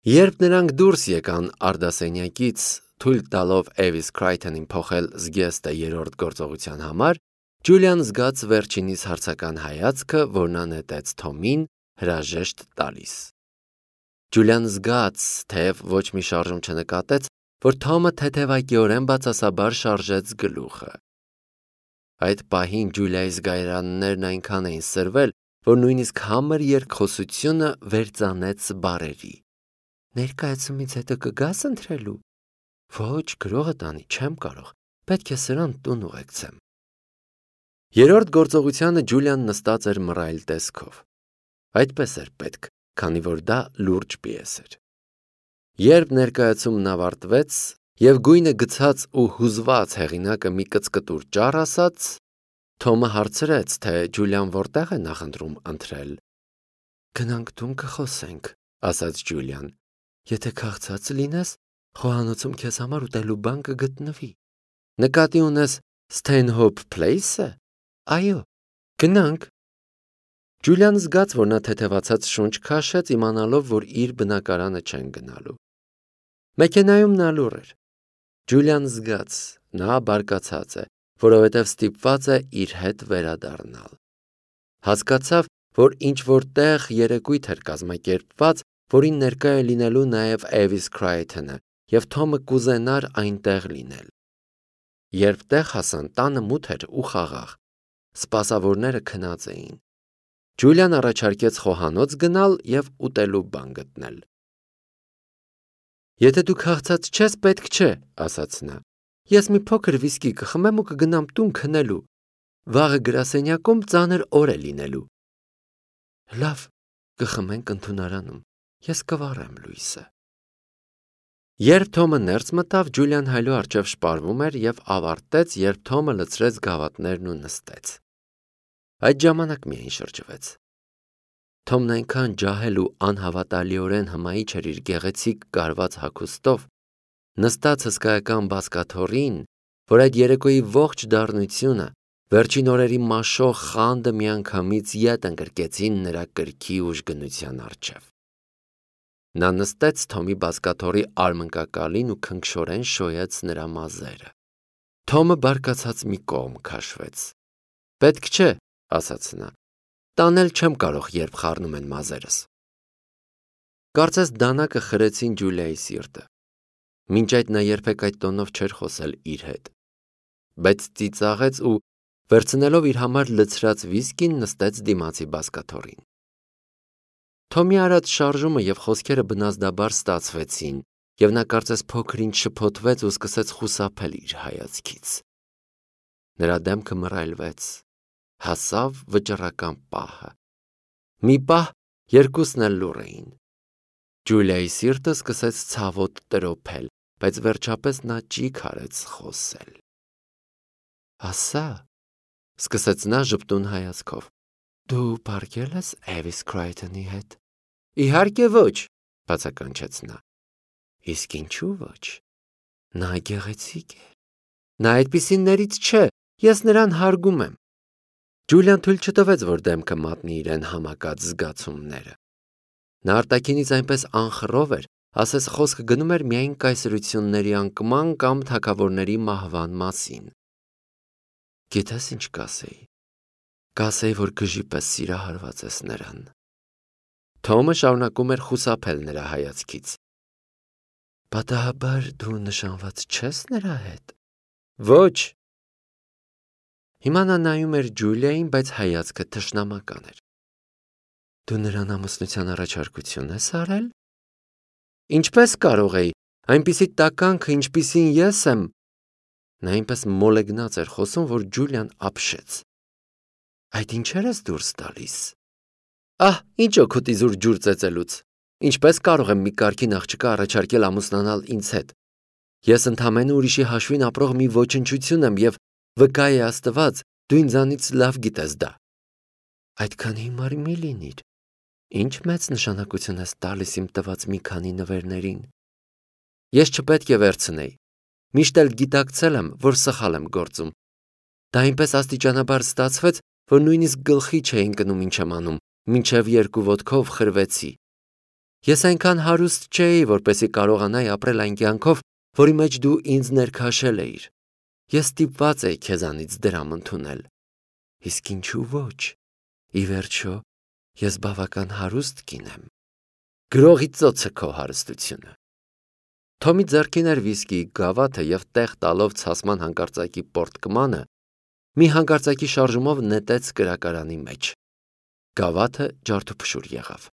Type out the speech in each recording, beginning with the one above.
Երբ նրանք դուրս եկան արդասենյակից, թույլ տալով Էվիս Քրայթոնին փոխել զգեստը երրորդ գործողության համար, Ջուլիան զգաց վերջինիս հարցական հայացքը, որ նա նետեց Թոմին, հրաժեշտ տալիս։ Ջուլիան զգաց, թեև ոչ մի շարժում չնկատեց, որ Թոմը թեթևակիորեն բացասաբար շարժեց գլուխը։ Այդ պահին Ջուլիայի զգայարաններն այնքան էին սրվել, որ նույնիսկ համր երկխոսությունը վերծանեց բառերի։ Ներկայացումից հետո կգաս ընթրելու։ Ոչ, գրողը տանի, չեմ կարող, պետք է սրան տուն ուղեկցեմ։ Երրորդ գործողությանը Ջուլիան նստած էր մռայլ տեսքով։ Այդպես էր պետք, քանի որ դա լուրջ պիես էր։ Երբ ներկայացումն ավարտվեց եւ գույնը գցած ու հուզված հեղինակը մի կծկտուր ճառ ասաց, Թոմը հարցրեց, թե Ջուլիան որտեղ է նախընտրում ընթրել։ Գնանք տուն կխոսենք, ասաց Ջուլիան։ Եթե քաղցած լինես, խոհանոցում քեզ համար ուտելու բան կգտնվի։ Նկատի ունես Stanhope Place-ը։ Այո, գնանք։ Ջուլիան զգաց, որ նա թեթևացած շունչ քաշեց, իմանալով, որ իր բնակարանը չեն գնալու։ Մեքենայում նա լուռ էր։ Ջուլիան զգաց, նա բարկացած է, որովհետև ստիպված է իր հետ վերադառնալ։ Հասկացավ, որ ինչ-որ տեղ երեկույթ էր կազմակերպված, որին ներկա է լինելու նաև Էվիս Քրայթոնը, և Թոմը կուզենար այնտեղ լինել։ Երբ տեղ հասան, տանը մութ էր ու խաղաղ։ Սպասավորները քնած էին։ Ջուլիան առաջարկեց խոհանոց գնալ և ուտելու բան գտնել։ Եթե դու քաղցած չես, պետք չէ, ասաց նա։ Ես մի փոքր վիսկի կխմեմ ու կգնամ տուն քնելու։ Վաղը գրասենյակում ծանր օր է լինելու։ Լավ, կխմենք ընդունարանում։ Ես կվառեմ լույսը։ Երբ Թոմը ներս մտավ, Ջուլիան հայլու առջև շպարվում էր և ավարտեց, երբ Թոմը լցրեց գավաթներն ու նստեց։ Այդ ժամանակ միայն շրջվեց։ Թոմն այնքան ջահել ու անհավատալիորեն հմայիչ էր իր գեղեցիկ կարված հագուստով, նստած հսկայական բազկաթոռին, որ այդ երեկոյի ողջ դառնությունը, վերջին օրերի մաշող խանդը միանգամից ետ ընկրկեցին նրա կրքի ուժգնության առջև։ Նա նստեց Թոմի բազկաթոռի արմնկակալին ու քնքշորեն շոյեց նրա մազերը։ Թոմը բարկացած մի կողմ քաշվեց։ Պետք չէ, ասաց նա։ Տանել չեմ կարող, երբ խառնում են մազերս։ Կարծես դանակը խրեցին Ջուլիայի սիրտը։ Մինչ այդ նա երբեք այդ տոնով չէր խոսել իր հետ։ Բայց ծիծաղեց ու, վերցնելով իր համար լցրած վիսկին, նստեց դիմացի բազկաթոռին։ Թոմի արած շարժումը և խոսքերը բնազդաբար ստացվեցին, և նա կարծես փոքր-ինչ շփոթվեց ու սկսեց խուսափել իր հայացքից։ Նրա դեմքը մռայլվեց, հասավ վճռական պահը։ Մի պահ երկուսն էլ լուռ էին։ Ջուլիայի սիրտը սկսեց ցավոտ տրոփել, բայց վերջապես նա ճիգ արեց խոսել։ Ասա, սկսեց նա ժպտուն հայացքով, դու պարկել ես Էվիս Քրայթոնի հետ։ Իհարկե ոչ, բացականչեց նա։ Իսկ ինչու ոչ։ Նա գեղեցիկ է։ Նա այդպիսիներից չէ, ես նրան հարգում եմ։ Ջուլիան թույլ չտվեց, որ դեմքը մատնի իրեն համակած զգացումները։ Նա արտաքինից այնպես անխռով էր, ասես խոսքը գնում էր միայն կայսրությունների անկման կամ թագավորների մահվան մասին։ Գիտես ինչ կասեի։ Կասեի, որ գժի պես սիրահարված ես նրան։ Թոմը շարունակում էր խուսափել նրա հայացքից։ Պատահաբար դու նշանված չես նրա հետ։ Ոչ։ Հիմա նա նայում էր Ջուլիային, բայց հայացքը թշնամական էր։ Դու նրան ամուսնության առաջարկություն ես արել։ Ինչպես կարող էի, այնպիսի տականքը, ինչպիսին ես եմ։ Նա այնպես մոլեգնած էր խոսում, որ Ջուլիան ապշեց։ Այդ ինչեր ես դուրս տալիս։ Ահ, ինչ օգուտ իզուր ջուր ծեծելուց։ Ինչպես կարող եմ մի կարգին աղջկա առաջարկել ամուսնանալ ինձ հետ։ Ես ընդամենը ուրիշի հաշվին ապրող մի ոչնչություն եմ և վկա է Աստված, դու ինձանից լավ գիտես դա։ Այդքան հիմար մի լինիր։ Ինչ մեծ նշանակություն ես տալիս իմ տված մի քանի նվերներին։ Ես չպետք է վերցնեի։ Միշտ էլ գիտակցել եմ, որ սխալ եմ գործում։ Դա այնպես աստիճանաբար ստացվեց, որ նույնիսկ գլխի չէի ընկնում ինչ եմ անում, մինչև երկու ոտքով խրվեցի։ Ես այնքան հարուստ չէի, որպեսզի կարողանայի ապրել այն կյանքով, որի մեջ դու ինձ ներքաշել էիր։ Ես ստիպված էի քեզանից դրամ ընդունել։ Իսկ ինչու ոչ։ Ի վերջո, ես բավական հարուստ կին եմ։ Գրողի ծոցը քո հարստությունը։ Թոմի ձեռքին էր վիսկիի գավաթը և տեղ տալով ցասման հանկարծակի պորտկմանը, մի հանկարծակի շարժումով նետեց կրակարանի մեջ։ Գավաթը ջարդուփշուր եղավ։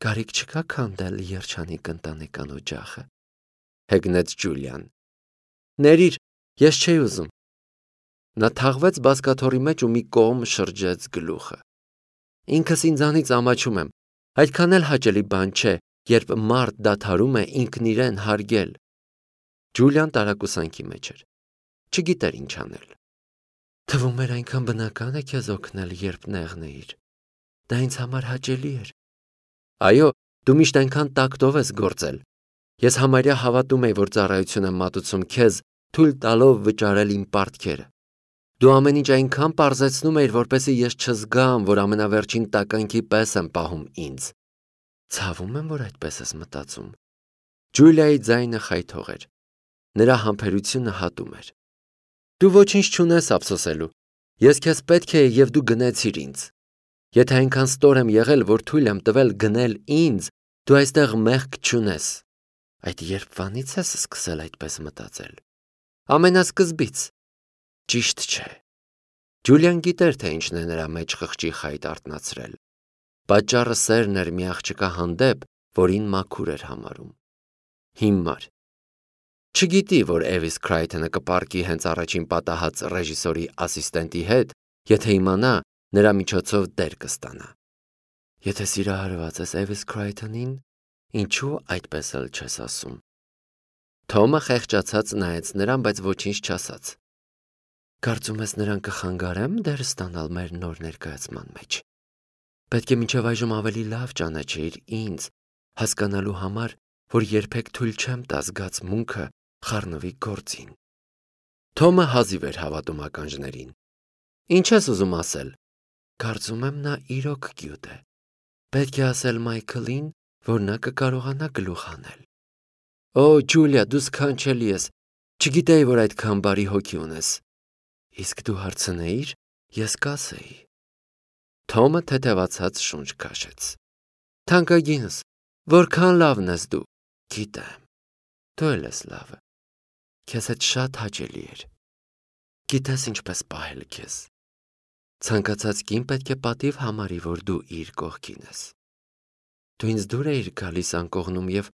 Կարիք չկա քանդել երջանիկ ընտանեկան օջախը, հեգնեց Ջուլիան։ Ներիր, ես չէի ուզում։ Նա թաղվեց բազկաթոռի մեջ ու մի կողմ շրջեց գլուխը։ Ինքս ինձանից ամաչում եմ, այդքան էլ հաճելի բան չէ, երբ մարդ դադարում է ինքն իրեն հարգել։ Ջուլիան տարակուսանքի մեջ էր։ Չգիտեր ինչ անել։ Թվում էր այնքան բնական է քեզ օգնել, երբ նեղն էիր։ Դա ինձ համար հաճելի էր։ Այո, դու միշտ այնքան տակտով ես գործել։ Ես համարյա հավատում էի, որ ծառայություն եմ մատուցում քեզ, թույլ տալով վճարել իմ պարտքերը։ Դու ամեն ինչ այնքան պարզեցնում էիր, որպեսզի ես չզգամ, որ ամենավերջին տականքի պես եմ պահում ինձ։ Ցավում եմ, որ այդպես ես մտածում։ Ջուլիայի ձայնը խայթող էր։ Նրա համբերությունը հատում էր։ Դու ոչինչ չունես ափսոսելու։ Ես քեզ պետք է և դու գնեցիր ինձ։ Եթե այնքան ստոր եմ եղել, որ թույլ եմ տվել գնել ինձ, դու այստեղ մեղք չունես։ Այդ երբվանից ես սկսել այդպես մտածել։ Ամենասկզբից։ Ճիշտ չէ։ Ջուլիան գիտեր, թե ինչն է նրա մեջ խղճի խայտ արթնացրել։ Պատճառը սերն էր մի աղջկա հանդեպ, որին մաքուր էր համարում։ Հիմար։ Չգիտի, որ Էվիս Քրայթոնը կպառկի հենց առաջին պատահած ռեժիսորի ասիստենտի հետ, եթե իմանա, նրա միջոցով դեր կստանա։ Եթե սիրահարված ես Էվիս Քրայթոնին, ինչու այդպես էլ չես ասում։ Թոմը խեղճացած նայեց նրան, բայց ոչինչ չասաց։ Կարծում ես նրան կխանգարեմ դեր ստանալ մեր նոր ներկայացման մեջ։ Պետք է մինչև այժմ ավելի լավ ճանաչեիր ինձ, հասկանալու համար, որ երբեք թույլ չեմ տա զգացմունքը խառնվի գործին։ Թոմը հազիվ էր հավատում ականջներին։ Ինչ ես ուզում ասել։ Կարծում եմ նա իրոք գյուտ է։ Պետք է ասել Մայքլին, որ նա կկարողանա գլուխ հանել։ Օ, Ջուլիա, դու սքանչելի ես։ Չգիտեի, որ այդքան բարի հոգի ունես։ Իսկ դու հարցնեիր, ես կասեի։ Թոմը թեթևացած շունչ քաշեց։ Թանկագինս, որքան լավն ես դու։ Գիտեմ։ Դու էլ ես լավը։ Քեզ հետ շատ հաճելի էր։ Գիտես ինչպես պահել քեզ։ Ցանկացած կին պետք է պատիվ համարի, որ դու իր կողքին ես։ Դու ինձ դուր էիր գալիս անկողնում և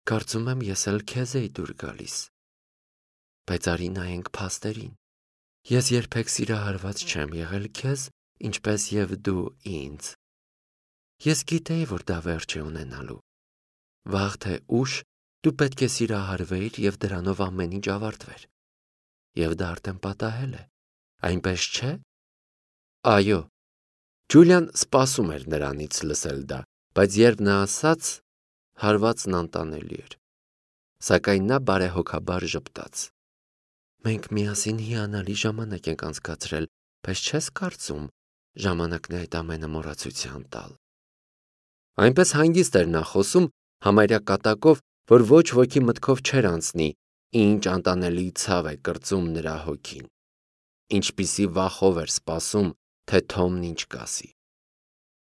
կարծում եմ ես էլ քեզ էի դուր գալիս։ Բայց արի նայենք փաստերին։ Ես երբեք սիրահարված չեմ եղել քեզ, ինչպես և դու ինձ։ Ես գիտեի, որ դա վերջ է ունենալու։ Վաղ թե ուշ դու պետք է սիրահարվեիր և դրանով ամեն ինչ ավարտվեր։ Եվ դա արդեն պատահել է, այնպես չէ։ Այո։ Ջուլիան սպասում էր նրանից լսել դա, բայց երբ նա ասաց, հարվածն անտանելի էր։ Սակայն նա բարեհոգաբար ժպտաց։ Մենք միասին հիանալի ժամանակ ենք անցկացրել, բայց չես կարծում ժամանակն է այդ ամենը մոռացության տալ։ Այնպես հանգիստ էր նա խոսում, համարյա կատակով, որ ոչ ոքի մտքով չէր անցնի, ինչ անտանելի ցավ է կրծում նրա հոգին։ Ինչպիսի վախով էր սպասում, թե Թոմն ինչ կասի։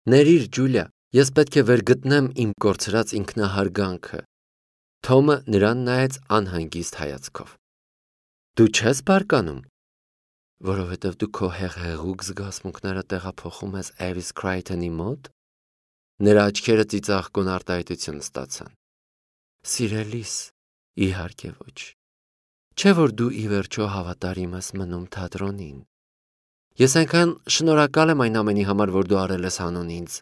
Ներիր, Ջուլիա, ես պետք է վերգտնեմ իմ կորցրած ինքնահարգանքը։ Թոմը նրան նայեց անհանգիստ հայացքով։ Դու չես բարկանում։ Որովհետև դու քո հեղեղուկ զգացմունքները տեղափոխում ես Էվիս Քրայթոնի մոտ։ Նրա աչքերը ծիծաղկուն արտահայտություն ստացան։ Սիրելիս, իհարկե ոչ։ Չէ՞ որ դու ի վերջո հավատարիմ ես մնում թատրոնին։ Ես այնքան շնորհակալ եմ այն ամենի համար, որ դու արել ես հանուն ինձ։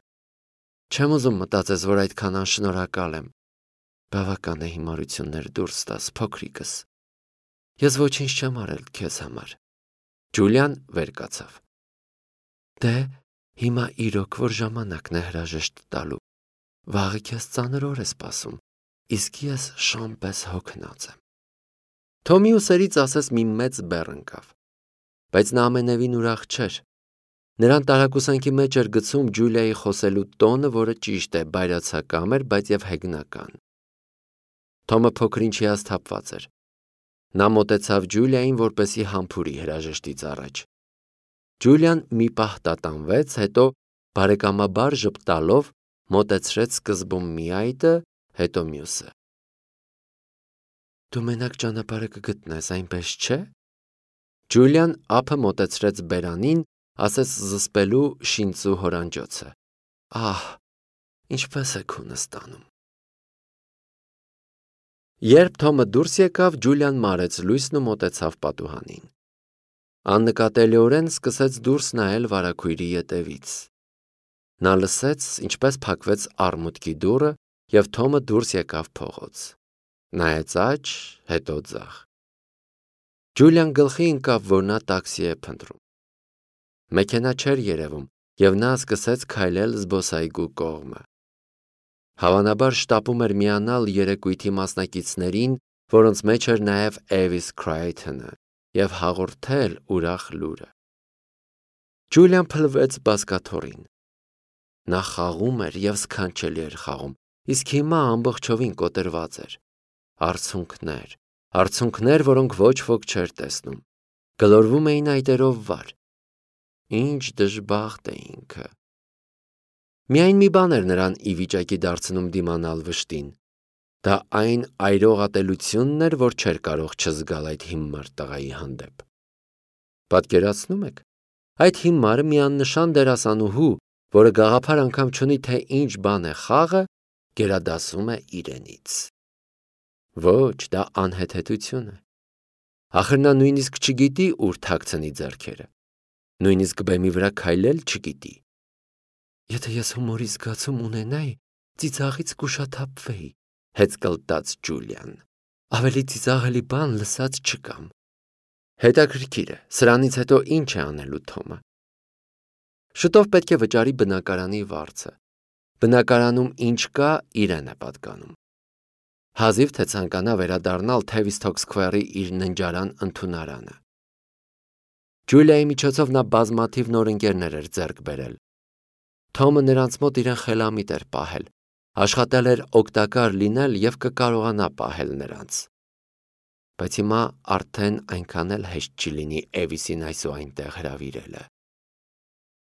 Չեմ ուզում մտածես, որ այդքան անշնորհակալ եմ։ Բավական է հիմարություններ դուրս տաս, փոքրիկս։ Ես ոչինչ չեմ արել քեզ համար։ Ջուլիան վեր կացավ։ Դե, հիմա իրոք որ ժամանակն է հրաժեշտ տալու։ Վաղը քեզ ծանր օր է սպասում, իսկ ես շան պես հոգնած եմ։ Թոմի ուսերից ասես մի մեծ բեռ ընկավ, բայց նա ամենևին ուրախ չէր։ Նրան տարակուսանքի մեջ էր գցում Ջուլիայի խոսելու տոնը, որը ճիշտ է, բայրացակամ էր, բայց եւ հեգնական։ Թոմը փոքր-ինչ հիասթափված էր։ Նա մոտեցավ Ջուլիային, որպեսզի համբուրի հրաժեշտից առաջ։ Ջուլիան մի պահ տատանվեց, հետո բարեկամաբար ժպտալով մոտեցրեց սկզբում մի այտը, հետո մյուսը։ Դու մենակ ճանապարհը կգտնես, այնպես չէ՞։ Ջուլիան ափը մոտեցրեց բերանին, ասեց զսպելու շինծու հորանջոցը։ Ահ, ինչպես է քունը ստանում։ Երբ Թոմը դուրս եկավ, Ջուլիան մարեց լույսն ու մոտեցավ պատուհանին։ Աննկատելիորեն սկսեց դուրս նայել վարագույրի ետևից։ Նա լսեց, ինչպես փակվեց արմուտքի դուռը, եւ Թոմը դուրս եկավ փողոց։ Նայեց աջ, հետո ձախ։ Ջուլիան գլխի ընկավ, որ նա տաքսի է փնտրում։ Մեքենա չէր երևում, եւ նա սկսեց քայլել զբոսայգու կողմը։ Հավանաբար շտապում էր միանալ երեկույթի մասնակիցներին, որոնց մեջ էր նաև Էվիս Քրայթոնը, եւ հաղորդել ուրախ լուրը։ Ջուլիան փլվեց բազկաթոռին։ Նա խաղում էր եւ սքանչելի էր խաղում, իսկ հիմա ամբողջովին կոտրված էր։ Արցունքներ, որոնք ոչ ոք չէր տեսնում, գլորվում էին այտերով վար։ Ինչ դժբախտ է ինքը։ Միայն մի բան էր նրան ի վիճակի դարձնում դիմանալ վշտին։ Դա այն այրողատելությունն էր, որ չէր կարող չզգալ այդ հիմար տղայի հանդեպ։ Պատկերացնում եք, այդ հիմարը մի աննշան դերասանուհու, որը գաղափար անգամ չունի, թե ինչ բան է խաղը, գերադասում է իրենից։ Ոչ, դա անհեթեթություն է։ Ախր նա նույնիսկ չգիտի ուր թաքցնի ձեռքերը։ Նույնիսկ բեմի վրա քայլել չգիտի։ Եթե ես հումորի զգացում ունենայի, ծիծաղից կուշաթափվեի, հեծկլտաց Ջուլիան։ Ավելի ծիծաղելի բան լսած չկամ։ Հետաքրքիր է, սրանից հետո ինչ է անելու Թոմը։ Շուտով պետք է վճարի բնակարանի վարձը։ Բնակարանում ինչ կա, իրեն է պատկանում։ Հազիվ թե ցանկանա վերադառնալ Թևիստոք Սքվերի իր ննջարան ընդունարանը։ Ջուլիայի միջոցով նա բազմաթիվ նոր ընկերներ էր ձեռք բերել։ Թոմը նրանց մոտ իրեն խելամիտ էր պահել, աշխատել էր օգտակար լինել եւ կկարողանա պահել նրանց։ Բայց հիմա արդեն այնքան էլ հեշտ չի լինի Էվիսին այսուհայնտեղ հրավիրելը։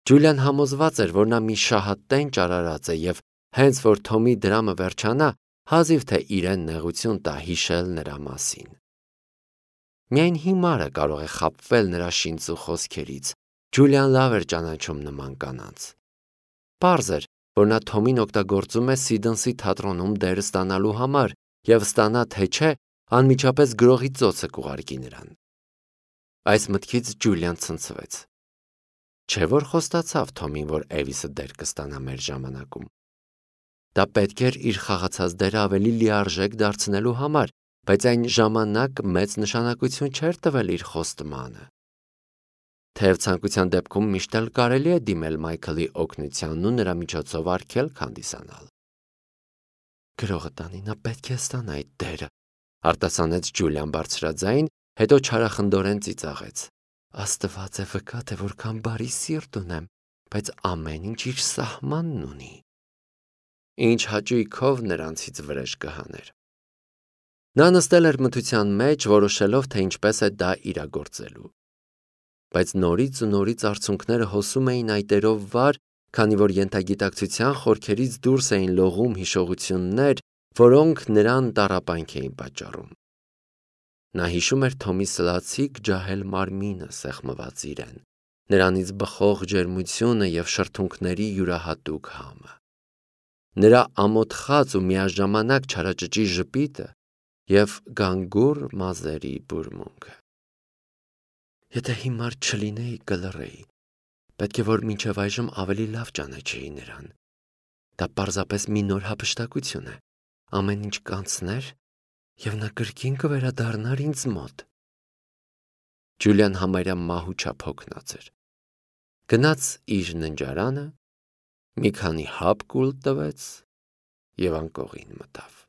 Ջուլիան համոզված էր, որ նա մի շահատենչ արարած է եւ հենց որ Թոմի դրամը վերջանա, հազիվ թե իրեն նեղություն տա հիշել նրա մասին։ Միայն հիմարը կարող է խաբվել նրա շինծու խոսքերից։ Ջուլիան լավ էր ճանաչում նման կանանց։ Պարզ էր, որ նա Թոմին օգտագործում է Սիդնսի թատրոնում դեր ստանալու համար եւ ստանա թե չէ, անմիջապես գրողի ծոցը կուղարկի նրան։ Այս մտքից Ջուլիան ցնցվեց։ Չէ՞ որ խոստացավ Թոմին, որ Էվիսը դեր կստանա մեր ժամանակում։ Դա պետք էր իր խաղացած դերը ավելի լիարժեք դարձնելու համար, բայց այն ժամանակ մեծ նշանակություն չէր տվել իր խոստմանը։ Թեև ցանկության դեպքում միշտ էլ կարելի է դիմել Մայքլի օգնությանն ու նրա միջոցով արգելք հանդիսանալ։ Գրողը տանի, նա պետք է ստանա այդ դերը, արտասանեց Ջուլիան բարձրաձայն, հետո չարախնդորեն ծիծաղեց։ Աստված է վկա, թե որքան բարի սիրտ ունեմ, բայց ամեն ինչ իր սահմանն ունի։ Ինչ հաճույքով նրանցից վրեժ կհաներ։ Նա նստել էր մթության մեջ, որոշելով, թե ինչպես է դա իրագործելու։ Բայց նորից ու նորից արցունքները հոսում էին այտերով վար, քանի որ ենթագիտակցության խորքերից դուրս էին լողում հիշողություններ, որոնք նրան տառապանք էին պատճառում։ Նա հիշում էր Թոմի սլացիկ ջահել մարմինը սեղմված իրեն, նրանից բխող ջերմությունը եւ շրթունքների յուրահատուկ համը, նրա ամոթխած ու միաժամանակ չարաճճի ժպիտը եւ գանգուր մազերի բուրմունքը։ Եթե հիմար չլինեի, կլռեի, պետք է որ մինչև այժմ ավելի լավ ճանաչեի նրան։ Դա պարզապես մի նոր հափշտակություն է, ամեն ինչ կանցներ եւ նա կրկին կվերադառնար ինձ մոտ։ Ջուլիան համարյա մահու չափ հոգնած էր։ Գնաց իր ննջարանը, մի քանի հապ կուլ տվեց եւ անկողին մտավ։